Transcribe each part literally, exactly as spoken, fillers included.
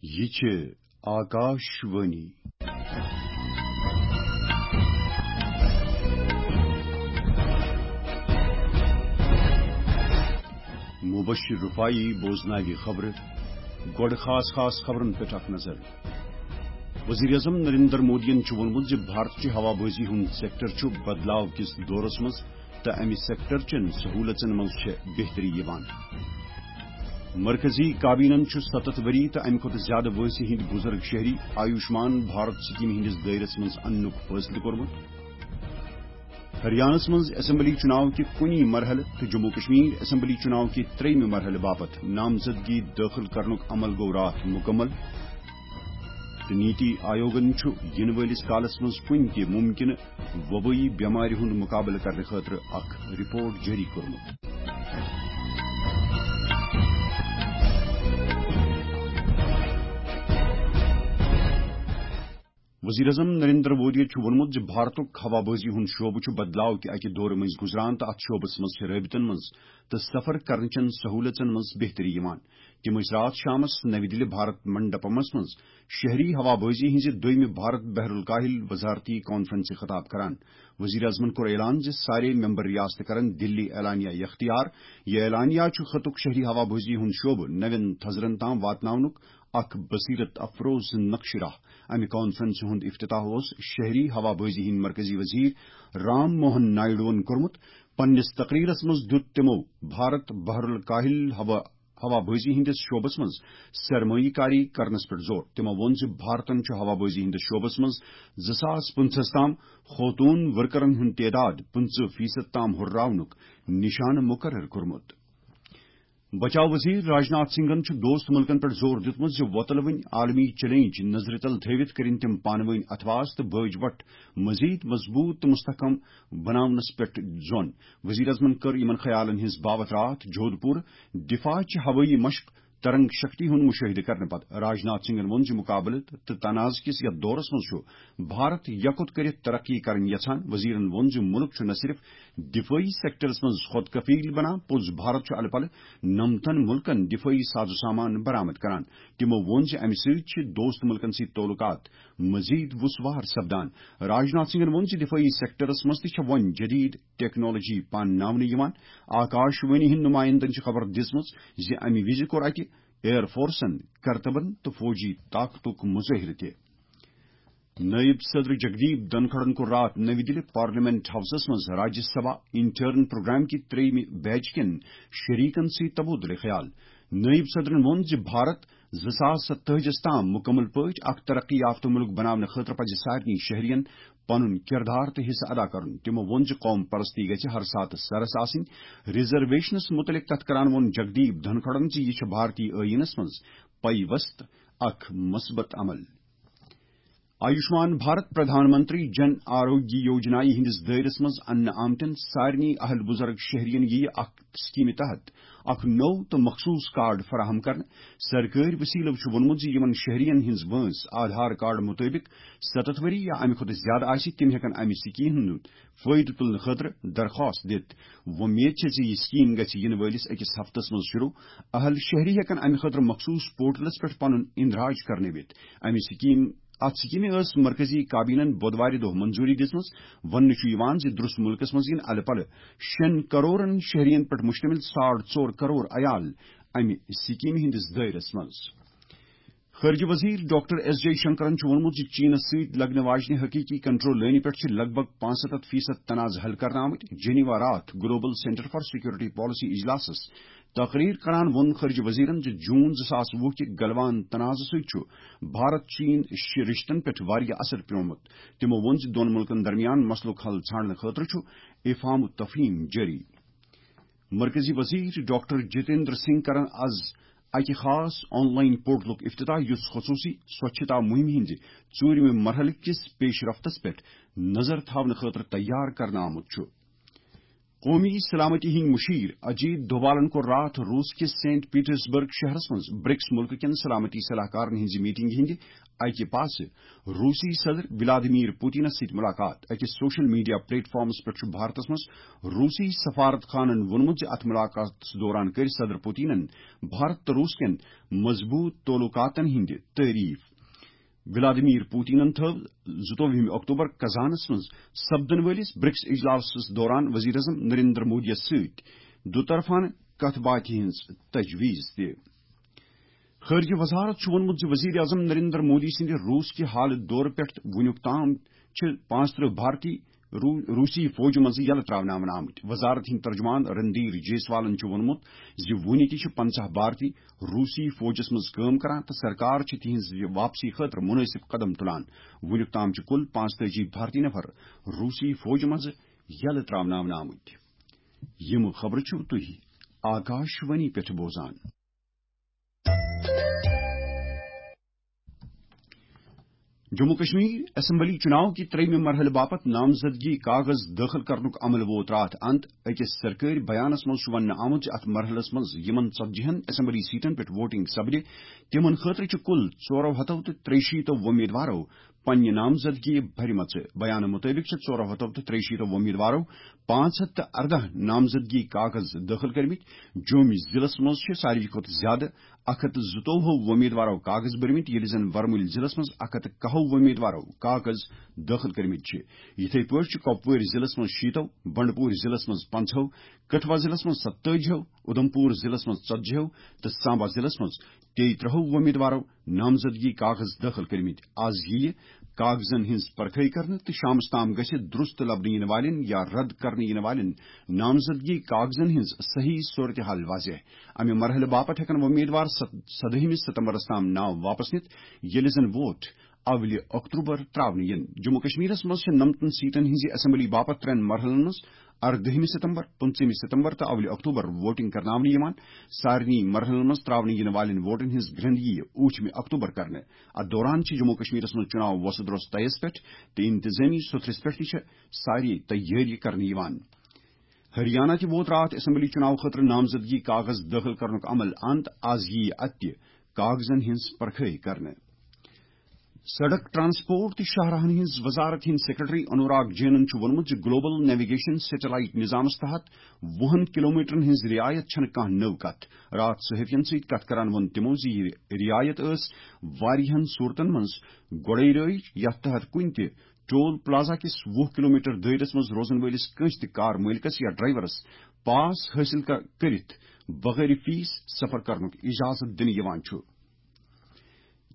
یہِ چھِ آکاش وانی۔ مبشر رفاعی بوزناوِ خبرٕ۔ گۄڈٕ خاص خاص خبرن پٮ۪ٹھ اکھ نظر۔ وزیر اعظم نریندر مودیَن چھُ ووٚنمُت زِ بھارت چہِ ہوا بازی ہُنٛد سیکٹر چھُ بدلاو کِس دورس منٛز تہٕ امہِ سیکٹر چٮ۪ن سہوٗلژن منٛز چھےٚ بہتری یِوان۔ مرکزی کابینن چھُ ستتھ ؤری تہٕ امہِ کھۄتہٕ زیادٕ وٲنٛسہِ ہٕنٛدۍ بُزرگ شہری آیوشمان بھارت سکیمہِ ہٕنٛدِس دٲیرس منٛز اننُک فٲصلہٕ کوٚرمُت۔ ہریانس منٛز اسمبلی چُناو کہِ کُنی مرحلہٕ تہٕ جموں کشمیر اسمبلی چُناو کہِ ترٛیٚیمہِ مرحلہٕ باپتھ نامزدگی دٲخل کرنُک عمل گوٚو راتھ مُکمل۔ تہٕ نیتی آیوگن چھُ یِنہٕ وٲلِس کالس منٛز کُنہِ تہِ مُمکِنہٕ وبٲیی بٮ۪مارِ ہُنٛد مُقابلہٕ کرنہٕ خٲطرٕ اکھ رپورٹ جٲری کوٚرمُت۔ وزیر اعظم نریندر مودی چھُ ووٚنمُت زِ بھارتُک ہوا بازی ہُنٛد شعبہٕ چھُ بدلاو کہِ اکہِ دورٕ مٔنٛزۍ گُزران تہٕ اتھ شعبس منٛز چھِ رٲبطن منٛز تہٕ سفر کرنہٕ چٮ۪ن سہوٗلژن منٛز بہتری یِوان۔ تِم ٲسۍ راتھ شامس نَوِ دِلہِ بھارت منڈپمس منٛز شہری ہوا بازی ہٕنٛزِ دوٚیمہِ بھارت بحر الکاہل وزارتی کانفرنسہِ خطاب کران۔ وزیر اعظمن کوٚر اعلان زِ سارے ممبر ریاستہٕ کرن دِلی اعلانیہ اختیار۔ یہِ اعلانیہ چھُ خطُک شہری ہوا بازی ہُنٛد شعبہٕ نوٮ۪ن تھزرن تام واتناونُک اکھ بصیرت افروز نقشہِ راہ۔ امہِ کانفرنسہِ ہُنٛد افتتاح اوس شہری ہوا بازی ہٕنٛدۍ مرکزی وزیر رام موہن نائیڈوَن کوٚرمُت۔ پننِس تقریرس منٛز دیُت تِمو بھارت بحر الکاہل ہوا ہوا بازی ہٕنٛدِس شعبس منٛز سرمایہ کاری کرنس پٮ۪ٹھ زور۔ تِمو ووٚن زِ بھارتن چھُ ہوا بازی ہٕنٛدِس شعبس منٛز زٕ ساس پٕنٛژٕہَس تام خوتوٗن ورکرن ہُنٛد تعداد پٕنٛژٕہ فیصد تام ہُرراونُک نشانہٕ مقرر کوٚرمُت۔ بچاو وزیر راجناتھ سنگھن چھُ دوست مُلکن پٮ۪ٹھ زور دیُتمُت زِ وۄتلوٕنۍ عالمی چیلنج نظرِ تل تھٲوِتھ کٔرِن تِم پانہٕ وٲنۍ اتھواس تہٕ بٲج وٹھ مزید مضبوط تہٕ مستحکم بناونس پٮ۪ٹھ زون۔ وزیر اعظمن کٔر یِمن خیالن ہٕنٛز باوتھ راتھ جودھ پور دفاع چہِ ہوٲیی مشق ترنگ شکتی ہُنٛد مشاہدٕ کرنہٕ پتہٕ۔ راجناتھ سنگھن ووٚن زِ مقابلہٕ تہٕ تنازٕ کِس یتھ دورس منٛز چھُ بھارت یکوت کٔرِتھ ترقی کرٕنۍ یژھان۔ وزیرن ووٚن زِ مُلک چھُ نہ صرف دفٲعی سیکٹرس منٛز خود کفیل بنان، پوٚز بھارت چھُ الہٕ پلہٕ نمتن مُلکن دفٲعی ساز و سامان برآمد کران۔ تِمو ووٚن زِ امہِ سۭتۍ چھِ دوست مُلکن سۭتۍ تعلقات مزید وُسوار سپدان۔ راجناتھ سنگھن ووٚن زِ دفٲعی سیکٹرس منٛز تہِ چھےٚ وۄنۍ جدید ٹیکنالوجی پانناونہٕ یِوان۔ آکاش وانی ہٕنٛدۍ نمایندن چھِ خبر دِژمٕژ زِ امہِ وِزِ کوٚر اتہِ ایئر فورسن کرتبن تہٕ فوجی طاقتُک مظٲہرٕ تہِ۔ نٲیِب صدر جگدیپ دھنکھڑن کوٚر راتھ نٔوِ دِلہِ پارلیمنٹ ہاوسس منٛز راجیہ سبھا انٹرن پروگرام کہِ ترٛیٚیِمہِ بیچ کٮ۪ن شریکن سۭتۍ تبادلہ خیال۔ نٲیِب صدرن ووٚن زِ بھارت زٕ ساس ستٲجِس تام مُکمل پٲٹھۍ اکھ ترقی یافتہٕ مُلک بناونہٕ خٲطرٕ پزِ سارنٕے شہرین پنُن کردار تہٕ حصہٕ ادا کرُن۔ تِمو ووٚن زِ قوم پرستی گژھِ ہر ساتہٕ سرس آسٕنۍ۔ ریزرویشنس مُتعلق کتھ کران ووٚن جگدیپ دھنکھڑن زِ یہِ چھُ بھارتی ٲییٖنس منٛز پیوست اکھ مثبت عمل۔ آیوشمان بھارت پردھان منتری جن آروگیہ یوجنایہِ ہٕنٛدِس دٲیرس منٛز اننہٕ آمتٮ۪ن سارنٕے اہل بزرگ شہرین یِیہِ اکھ سکیمہِ تحت اکھ نوٚو تہٕ مخصوص کارڈ فراہم کرنہٕ۔ سرکٲرۍ وسیلو چھُ ووٚنمُت زِ یِمن شہرین ہٕنٛز وٲنٛس آدھار کارڈ مُطٲبِق ستتھ ؤری یا امہِ کھۄتہٕ زیادٕ آسہِ، تِم ہٮ۪کن امہِ سکیمہِ ہُنٛد فٲیدٕ تُلنہٕ خٲطرٕ درخواست دِتھ۔ وۄمید چھےٚ زِ یہِ سکیم گژھِ یِنہٕ وٲلِس أکِس ہفتس منٛز شروع۔ اہل شہری ہٮ۪کن امہِ خٲطرٕ مخصوص پورٹلس پٮ۪ٹھ پنُن اندراج کرنٲوِتھ۔ امہِ سکیم اتھ سکیمہِ ٲس مرکزی کابینن بۄدوارِ دۄہ منظوری دِژمٕژ۔ وننہٕ چھُ یِوان زِ درست مُلکس منٛز یِن الہٕ پلہٕ شیٚن کرورن شہرین پٮ۪ٹھ مشتمل ساڑ ژور کرور عیال امہِ سکیمہِ ہٕنٛدِس دٲیرس منٛز۔ خارجہ وزیر ڈاکٹر ایس جے شنکرن چھُ ووٚنمُت زِ چینس سۭتۍ لگنہٕ واجنہِ حقیقی کنٹرول لٲنہِ پٮ۪ٹھ چھِ لگ بھگ پانٛژستتھ فیصد تنازٕ حل کرنہٕ آمٕتۍ۔ جنیوا راتھ global centre for security policy اجلاسس تقریر کران ووٚن خارجہ وزیرن زِ جون زٕ ساس وُہ کہِ گلوان تنازٕ سۭتۍ چھُ بھارت چین شِ-، رشتن پٮ۪ٹھ واریاہ اثر پیومُت۔ تِمو ووٚن زِ دۄن مُلکن درمیان مسلُک حل ژھانڈنہٕ خٲطرٕ چھُ افہام و تفہیم جٲری۔ مرکزی وزیر ڈاکٹر جتیندر سنگھ کرن از اکہِ خاص آن لائن پورٹلُک افتتاح، یُس خصوصی سوچھتا مہم ہٕنٛزِ ژوٗرِمہِ مرحلہٕ کِس پیش رفتس پٮ۪ٹھ نظر تھاونہٕ خٲطرٕ تیار کرنہٕ آمُت چھُ۔ قومی سلامتی ہٕنٛدۍ مشیر اجیت دووالن کوٚر راتھ روس کِس سینٹ پیٹرسبرگ شہرس منٛز برکس ملکہٕ کٮ۪ن سلامتی صلاح کارن ہٕنٛزِ میٹنگہِ ہٕنٛدِ اکہِ پاسہٕ روسی صدر ولادیمیر پوتینس سۭتۍ ملاقات۔ أکِس سوشل میڈیا پلیٹ فارمس پٮ۪ٹھ چھُ بھارتس منٛز روسی سفارت خانن ووٚنمُت زِ اتھ ملاقاتس دوران کٔرۍ صدر پوتینن بھارت تہٕ روس کٮ۪ن مضبوط تعلقاتن ہٕنٛدِ تعریف۔ ولادیمیر پوتینن تھٲو زٕتووُہمہِ اکتوبر قزانس منٛز سپدن وٲلِس برکس اجلاسس دوران وزیر اعظم نریندر مودیَس سۭتۍ دُطرفانہٕ کتھ باتھِ ہٕنٛز تجویز تہِ۔ خارجہ وزارت چھُ ووٚنمُت زِ وزیر اعظم نریندر مودی سٕنٛدِ روس کہِ حالہٕ دورٕ پٮ۪ٹھ وُنیُک تام چھِ پانٛژترٕہ بھارتی رو-، روسی فوجہِ منٛز یلہٕ ترٛاونہٕ آمٕتۍ۔ وزارت ہٕنٛدۍ ترجمان رندیر جیسوالن چھُ ووٚنمُت زِ وُنہِ تہِ چھِ پنٛژاہ بھارتی روسی فوجس منٛز کٲم کران تہٕ سرکار چھِ تِہنٛز یہِ واپسی خٲطرٕ مناسب قدم تُلان۔ وُنیُک تام چھِ کُل پانٛژتٲجی بھارتی نفر روسی فوجہِ منٛز یلہٕ ترٛاوناونہٕ آمٕتۍ۔ یِم خبرٕ چھِو تُہۍ آکاش وانی پٮ۪ٹھ بوزان۔ جموں کشمیر اسمبلی چناو کہِ ترٛیٚیمہِ مرحلہٕ باپتھ نامزدگی کاغذ دٲخل کرنُک عمل ووت راتھ اند۔ أکِس سرکٲرۍ بیانس منٛز چھُ وننہٕ آمُت زِ اتھ مرحلس منٛز یِمن ژتجی ہن اسمبلی سیٹن پٮ۪ٹھ ووٹنگ سپدِ، تِمن خٲطرٕ چھِ کُل ژورو ہتو تہٕ ترٛیہِ شیٖتو وۄمیدوارو پننہِ نامزدگی بھرمژٕ۔ بیانہٕ مُطٲبِق چھِ ژورو ہتو تہٕ ترٛیہِ شیٖتو وۄمیدوارو پانٛژھ ہتھ تہٕ ارداہ نامزدگی کاغذ دٲخل کٔرمٕتۍ۔ جومہِ ضلعس منٛز چھِ ساروی کھۄتہٕ زیادٕ اکھ ہتھ تہٕ زٕتووُہ وۄمیدوارو کاغذ بٔرمٕتۍ، ییٚلہِ زن ورمُلۍ ضلعس منٛز اکھ ہتھ تہٕ کاہو وۄمیدوارو کاغذ دٲخل کٔرمٕتۍ چھِ۔ یِتھے پٲٹھۍ چھِ کۄپوٲرۍ ضلعس منٛز شیٖتو، بنڈپور ضلعس منٛز پنٛژہو، کٹھوا ضلعس منٛز ستٲجیو، اُدھمپور ضلعس منٛز ژتجیو تہٕ سامبا ضلعس منٛز تیٚیہِ ترٛہو وۄمیدوارو نامزدگی کاغذ دٲخل کٔرمٕتۍ۔ از یِیہِ کاغذن ہٕنٛز پرکھٲے کرنہٕ تہٕ شامس تام گژھِ درست لبنہٕ یِنہٕ والٮ۪ن یا رد کرنہٕ یِنہٕ والٮ۪ن نامزدگی کاغذن ہٕنٛز صحیح صورتحال واضح۔ امہِ مرحلہٕ باپتھ ہٮ۪کن وۄمیدوار ست-، سدٲہمہِ ستمبرس تام ناو واپس نِتھ، ییٚلہِ زن ووٹ اولہِ اکتوبر ترٛاونہٕ یِن۔ جموں کشمیرس منٛز چھِ نمتن سیٹن ہٕنٛزِ اسمبلی باپتھ ترٛٮ۪ن مرحلن منٛز اردٲہمہِ ستمبر، پٕنٛژٕہمہِ ستمبر تہٕ اولہِ اکتوبر ووٹنگ کرناونہٕ یِوان۔ سارنٕے مرحلن منٛز ترٛاونہٕ یِنہٕ والٮ۪ن ووٹن ہٕنٛز گرٛنٛد یِیہِ ٲٹھمہِ اکتوبر کرنہٕ۔ اتھ دوران چھِ جموں کشمیرس منٛز چُناو وۄسہٕ درۄس طیس پٮ۪ٹھ تہٕ انتظٲمی سُتھرِس پٮ۪ٹھ تہِ چھِ سارے تیٲری کرنہٕ یِوان۔ ہریانہ تہِ ووت راتھ اسمبلی چُناو خٲطرٕ نامزدگی کاغذ دٲخل کرنُک عمل اند۔ از ییہِ اتہِ تہِ کاغذن ہٕنٛز پرکھٲے کرنہٕ۔ سڑک ٹرانسپورٹ تہٕ شاہراہن ہٕنٛز وزارت ہٕنٛدۍ سیکرٹری انوراگ جینن چھُ ووٚنمُت زِ گلوبل نیویگیشن سیٹلائٹ نظامس تحت وُہن کلومیٹرن ہٕنٛز رعایت چھنہٕ کانٛہہ نٔو کتھ۔ راتھ صحافین سۭتۍ کتھ کران ووٚن تِمو زِ یہِ رعایت ٲس واریاہن صورتن منٛز گۄڈے رٲیِج، یتھ تحت کُنہِ تہِ ٹول پلازا کِس وُہ کلومیٹر دٲیرس منٛز روزن وٲلِس کٲنٛسہِ تہِ کار مٲلکس یا ڈرائیورس پاس حٲصِل ک-، کٔرِتھ بغٲر فیس سفر کرنُک اجازت دِنہٕ یِوان چھُ۔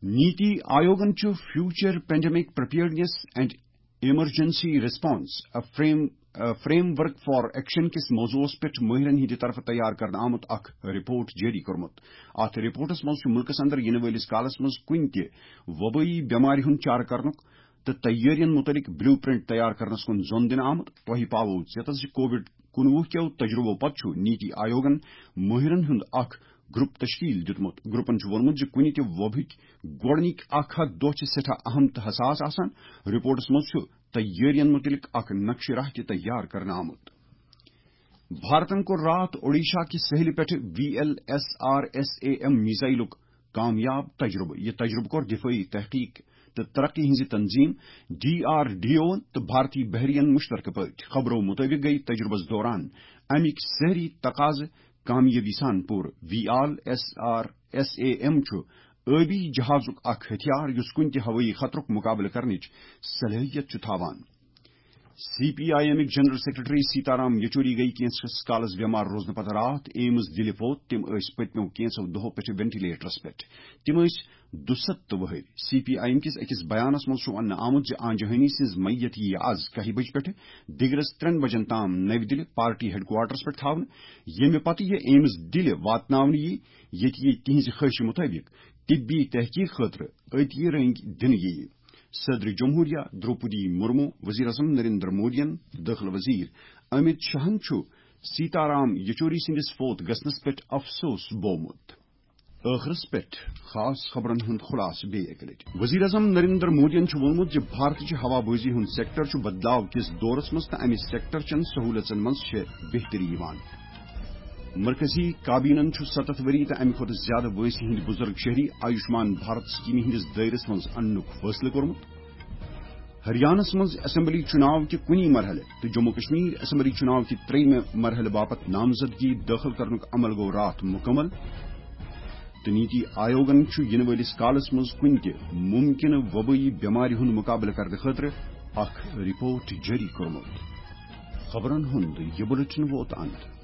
نیتی آیوگن چھُ future pandemic preparedness and emergency response, a frame, a framework for action کِس موضوعس پٮ۪ٹھ مٲہرن ہٕنٛدِ طرفہٕ تیار کرنہٕ آمُت اکھ رپورٹ جٲری کوٚرمُت۔ اتھ رپورٹس منٛز چھُ مُلکس اندر یِنہٕ وٲلِس کالس منٛز کُنہِ تہِ وبٲیی بٮ۪مارِ ہُنٛد چارٕ کرنُک تہٕ تیٲرین مُتعلق بلیو پرنٹ تیار کرنس کُن زون دِنہٕ آمُت۔ تۄہہِ پاوو ژیتس زِ کووڈ کُنوُہ کیو تجربو پتہٕ چھُ نیتی آیوگن مٲہرن ہُنٛد اکھ گروپ تشکیل دیُتمُت۔ گروپن چھُ ووٚنمُت زِ کُنہِ تہِ وبہٕکۍ گۄڈٕنِکۍ اکھ ہتھ دۄہ چھِ سٮ۪ٹھاہ اہم تہٕ حساس آسان۔ رپورٹس منٛز چھُ تیٲرین مُتعلق اکھ نقشہٕ راہ تہِ تیار کرنہٕ آمُت۔ بھارتن کوٚر راتھ اوڈیشہ کہِ سہلہِ پٮ۪ٹھٕ V L S R S A M میزائلُک کامیاب تجربہٕ۔ یہِ تجربہٕ کوٚر دفٲعی تحقیق تہٕ ترقی ہٕنٛزِ تنظیم ڈی آر ڈی اوَن تہٕ بھارتی بحریَن مشترکہٕ پٲٹھۍ۔ خبرو مُطٲبِق گٔیہِ تجربس دوران اَمِکۍ سٲری تقاضہٕ کامیٲبی سان پوٗرٕ۔ V L S R S A M چھُ ٲبی جہازُک اکھ ہتھیار یُس کُنہِ تہِ ہوٲیی خطرُک مُقابلہٕ کرنٕچ صلٲحیت چھُ تھاوان۔ سی پی آئی ایمٕکۍ جنرل سیکرٹری سیتارام یچوری گٔیہِ کینٛژھس کالس بٮ۪مار روزنہٕ پتہٕ راتھ ایمز دِلہِ فوت۔ تِم ٲسۍ پٔتمیو کینٛژھو دۄہو پٮ۪ٹھٕ وینٹیلیٹرس پٮ۪ٹھ۔ تِم ٲسۍ دُستہٕ وُہٕرۍ۔ سی پی آئی ایم کِس أکِس بیانس منٛز چھُ وننہٕ آمُت زِ آنجہانی سٕنٛز میت یِیہِ از کاہہِ بجہِ پٮ۪ٹھٕ دِگرس ترٛٮ۪ن بجن تام نَوِ دِلہِ پارٹی ہیڈ کوارٹرس پٮ۪ٹھ تھاونہٕ، ییٚمہِ پتہٕ یہِ ایمز دِلہِ واتناونہٕ یِیہِ، ییٚتہِ یہِ تِہنٛزِ خٲہشہِ مُطٲبِق طبی تحقیق خٲطرٕ عطیہ رٔنگۍ دِنہٕ یِیہِ۔ صدر جمہوریہ دروپدی مرمو، وزیر اعظم نریندر مودین، دٲخلہٕ وزیر امت شاہن چھُ سیتارام یچوری سٕنٛدِس فوت گژھنس پٮ۪ٹھ افسوس بوومُت۔ ٲخرس پٮ۪ٹھ خاص خبرن ہُنٛد خلاصہٕ بیٚیہِ اکہِ لٹہِ۔ وزیر اعظم نریندر مودیَن چھُ ووٚنمُت زِ بھارتٕچہِ ہوا بٲزی ہُنٛد سیکٹر چھُ بدلاو کِس دورس منٛز تہٕ امہِ سیکٹر چٮ۪ن سہوٗلژن منٛز چھےٚ بہتری یِوان۔ مرکزی کابینن چھُ ستتھ ؤری تہٕ امہِ کھۄتہٕ زیادٕ وٲنٛسہِ ہٕنٛدۍ بُزرگ شہری آیوشمان بھارت سکیمہِ ہٕنٛدِس دٲیرس منٛز اننُک فٲصلہٕ کوٚرمُت۔ ہریانس منٛز اسمبلی چُناو کہِ کُنی مرحلہٕ تہٕ جموں کشمیر اسمبلی چُناو کہِ ترٛیٚیِمہِ مرحلہٕ باپتھ نامزدگی دٲخل کرنُک عمل گوٚو راتھ مُکمل۔ تہٕ نیتی آیوگن چھُ یِنہٕ وٲلِس کالس منٛز کُنہِ تہِ مُمکِنہٕ وبٲیی بٮ۪مارِ ہُنٛد مُقابلہٕ کرنہٕ خٲطرٕ اکھ رپورٹ جٲری کوٚرمُت۔ خبرن ہُنٛد یہِ بُلٹن ووت اند۔